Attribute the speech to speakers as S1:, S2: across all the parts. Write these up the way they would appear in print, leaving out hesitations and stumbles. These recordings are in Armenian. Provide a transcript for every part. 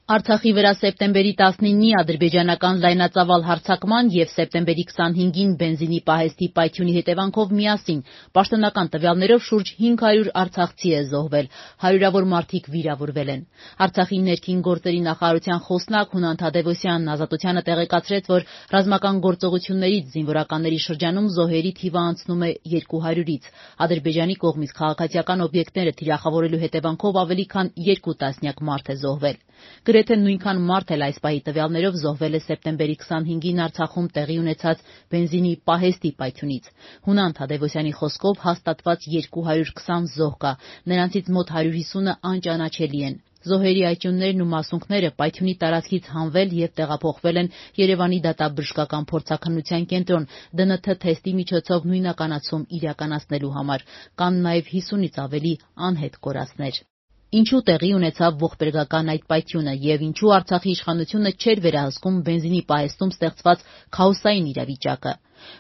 S1: Արցախի վրա սեպտեմբերի 19-ի ադրբեջանական լայնածավալ հարձակման և սեպտեմբերի 25-ին բենզինի պահեստի պայթյունի հետևանքով միասին պաշտոնական տվյալներով շուրջ 500 արցախցի է զոհվել, հարյուրավոր մարդիկ վիրավորվել են։ Արցախի ներքին գործերի նախարարության խոսնակ Հունան Թադևոսյանն Ազատությանը տեղեկացրեց, որ ռազմական գործողություններից զինվորականների շրջանում զոհերի թիվը անցնում է 200-ից։ Ադրբեջանի կողմից քաղաքացիական օբյեկտները թիրախավորելու հետևանքով ավելի քան 2 տասնյակ մարդ է զոհվել։ Գրեթե նույնքան մարդ էլ այս պահի տվյալներով զոհվել է սեպտեմբերի 25-ին Արցախում տեղի ունեցած բենզինի պահեստի պայթյունից։ Հունան Թադևոսյանի խոսքով հաստատված 220 զոհ կա, նրանցից մոտ 150-ը անճանաչելի են։ Զոհերի այճուններն ու մասունքները պայթյունի տարածքից հանվել և տեղափոխվել են Երևանի դատաբժշկական փորձաքննության կենտրոն ԴՆԹ թեստի միջոցով նույնականացում իրականացնելու համար։ Կան նաև 50-ից ավելի անհետ կորածներ։ Ինչու տեղի ունեցավ ողբերգական այդ պայթյունը և ինչու Արցախի իշխանությունը չէր վերահսկում բենզինի պահեստում ստեղծված քաոսային իրավիճակը։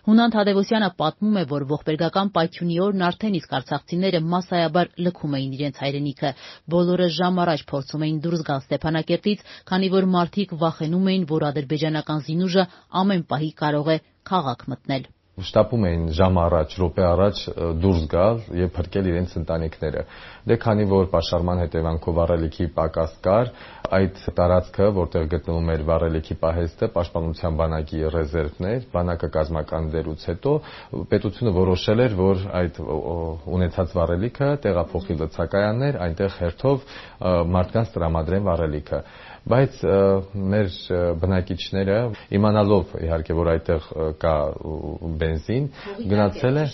S1: Հունան Թադևոսյանը պատմում է, որ ողբերգական պայթյունի օրն արդեն իսկ արցախցիները մասսայաբար լքում էին իրենց հայրենիքը։ Բոլորը ժամ առաջ փորձում էին դուրս գալ Ստեփանակերտից, քանի որ մարդիկ վախենում էին, որ ադրբեջանական զինուժը ամեն պահի կարող է քաղաք մտնել։
S2: Շտապում էին ժամ առաջ, րոպե առաջ դուրս գալ եւ փրկել իրենց ընտանիքները։ Դե քանի որ պաշարման հետևանքով վառելիքի պակաս կար, այդ տարածքը, որտեղ գտնվում էր վառելիքի պահեստը, պաշտպանության բանակի ռեզերվն էր, բանակը կազմակերպելուց հետո պետությունը որոշել էր, որ այդ ունեցած վառելիքը տեղափոխի լցակայաններ, այնտեղ հերթով մարդկանց տրամադրեն վառելիքը։ Բայց մեր բնակիչները իմանալով իհարկե որ այդտեղ կա բենզին, գնացել է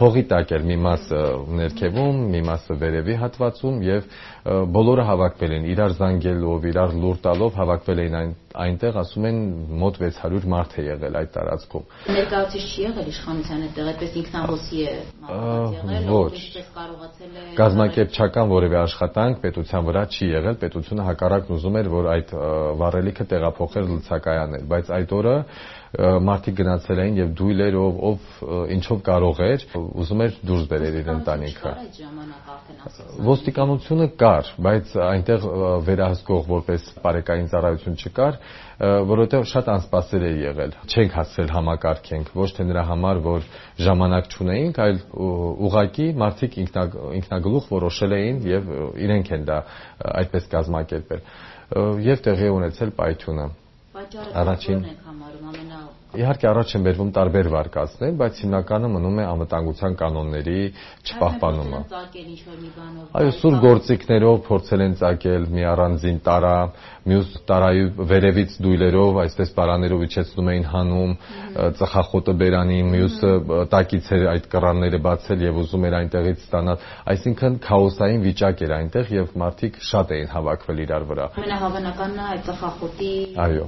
S2: հողի տակ էր մի մասը ներքևում, մի մասը վերևի հատվածում եւ բոլորը հավաքվել են իրար զանգելով, իրար լուր տալով հավաքվել էին այնտեղ, ասում են մոտ 600 մարդ է եղել այդ տարածքում։
S1: Ներկայացուցիչ չի եղել իշխանության այդտեղ, այդպես ինքնահոսի է եղել,
S2: ոչ։
S1: Կարողացել է
S2: Կազմակերպչական որևէ աշխատանք պետության վրա չի եղել, պետությունը հակառակն ուզում էր, որ այդ վառելիքը տեղափոխեր լցակայաններ, բայց այդ օրը մարդիկ գնացել էին եւ դույլերով, ով ինչով կարող էր, ուզում էր դուրս բերել իր ընտանիքը։ Ոստիկանությունը կար, բայց այնտեղ վերահսկող որպես բարեկային ծառայություն չկար, որովհետեւ շատ անսպասել է եղել։ Չենք հասցրել համակարգենք, ոչ թե նրա համար, որ ժամանակ չունեինք, այլ ուղղակի մարդիկ ինքնագլուխ որոշել էին եւ իրենք են դա այդպես կազմակերպել։ Եվ տեղի ունեցել պայթյունը։ Առաջին Իհարկե առաջ են բերվում տարբեր վարկածներ, բայց հիմնականը մնում է անվտանգության կանոնների չպահպանումը։ Այո, սուր գործիքներով փորձել են ծակել մի առանձին տարա, մյուս տարայի վերևից դույլերով, այսպես պարաներով իջեցնում էին հանում, ծխախոտը բերանի, մյուսը տակից էր այդ կռանները բացել եւ ուզում էր այնտեղից ստանալ։ Այսինքն քաոսային վիճակ էր այնտեղ եւ մարդիկ շատ էին հավաքվել իրար վրա։
S1: Ամենահավանականն է այդ ծխախոտի
S2: Այո։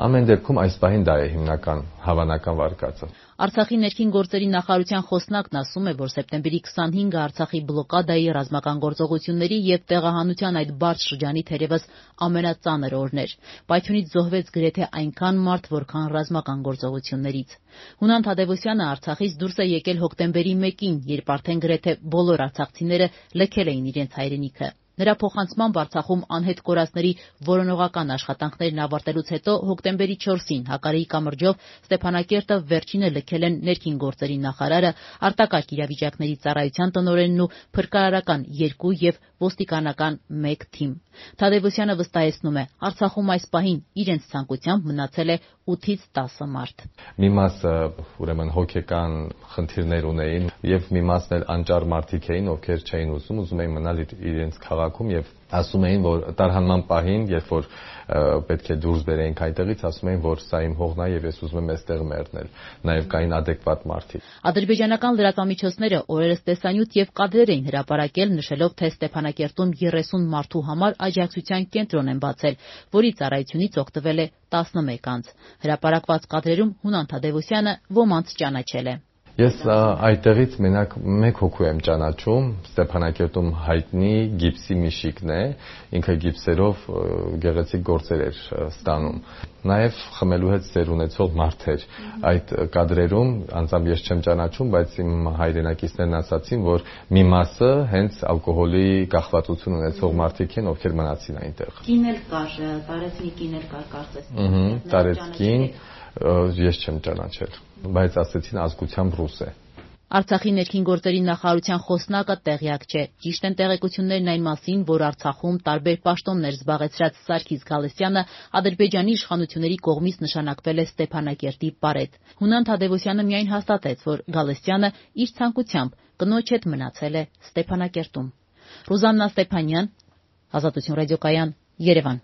S2: Ամեն դեպքում այս պահին դա է հիմնական հավանական վարկածը։
S1: Արցախի ներքին գործերի նախարարության խոսնակն ասում է, որ սեպտեմբերի 25-ը Արցախի բլոկադայի, ռազմական գործողությունների եւ տեղահանության այդ բարդ շրջանի թերևս ամենածանր օրն էր։ Պայթյունից զոհվեց գրեթե այնքան մարդ, որքան ռազմական գործողություններից։ Հունան Թադևոսյանը Արցախից դուրս է եկել հոկտեմբերի 1-ին, երբ արդեն գրեթե բոլոր արցախցիները լքել էին իրենց հայրենիքը։ Նրա փոխանցմամբ Արցախում անհետ կորածների որոնողական աշխատանքներն ավարտելուց հետո հոկտեմբերի 4-ին Հակարիի կամրջով Ստեփանակերտը վերջինը լքել են ներքին գործերի նախարարը, արտակարգ իրավիճակների ծառայության տնօրենն ու փրկարարական 2 եւ ոստիկանական 1 թիմ։ Թադևոսյանը վստահեցնում է, Արցախում այս պահին իրենց ցանկությամբ մնացել է 8-ից 10 մարդ։
S2: Մի մասը ուրեմն հոգեկան խնդիրներ ունեին եւ մի մասն էլ անճար մարդիկ էին, ովքեր չէին ուզում էին մնալ իրենց քաղաքում եւ ասում էին, որ տարհանման պահին, երբ որ պետք է դուրս բերեինք այնտեղից, ասում էին, որ սա իմ հողն է եւ ես ուզում եմ այստեղ մեռնել։ Նաեւ կային ադեկվատ մարդիկ։
S1: Ադրբեջանական լրատվամիջոցները օրերս տեսանյութ եւ կադրեր էին հրապարակել, նշելով, թե Ստեփանակերտում 30 մարդու համար աջակցության կենտրոն են բացել, որի ծառայությունից օգտվել է 11 անձ։ Հրապարակված կադրերում Հունան Թադևոսյանը ոմանց ճանաչել է։
S2: Ես այդտեղից մենակ մեկ հոգու եմ ճանաչում, Ստեփանակերտում հայտնի գիպսի Միշիկն է, ինքը գիպսերով գեղեցիկ գործեր էր ստանում։ Նաև խմելու հետ սեր ունեցող մարդ էր։ Այդ կադրերում անձամբ ես չեմ ճանաչում, բայց իմ հայրենակիցներն ասացին, որ մի մասը հենց ալկոհոլի կախվածություն ունեցող մարդիկ են, ովքեր մնացին այնտեղ։
S1: Կին էլ կար, տարեցնի կին էլ կար, կարծես։
S2: Տարեցկին ես չեմ ճանաչել, բայց ասեցին ազգությամբ ռուս է։
S1: Արցախի ներքին գործերի նախարարության խոսնակը տեղյակ չէ։ Ճիշտ են տեղեկություններն այն մասին, որ Արցախում տարբեր պաշտոններ զբաղեցրած Սարգիս Գալստյանը Ադրբեջանի իշխանությունների կողմից նշանակվել է Ստեփանակերտի պարետ։ Հունան Թադևոսյանը միայն հաստատեց, որ Գալստյանը իր ցանկությամբ կնոջ հետ մնացել է Ստեփանակերտում։ Ռուզաննա Ստեփանյան, Ազատություն ռադիոկայան, Երևան։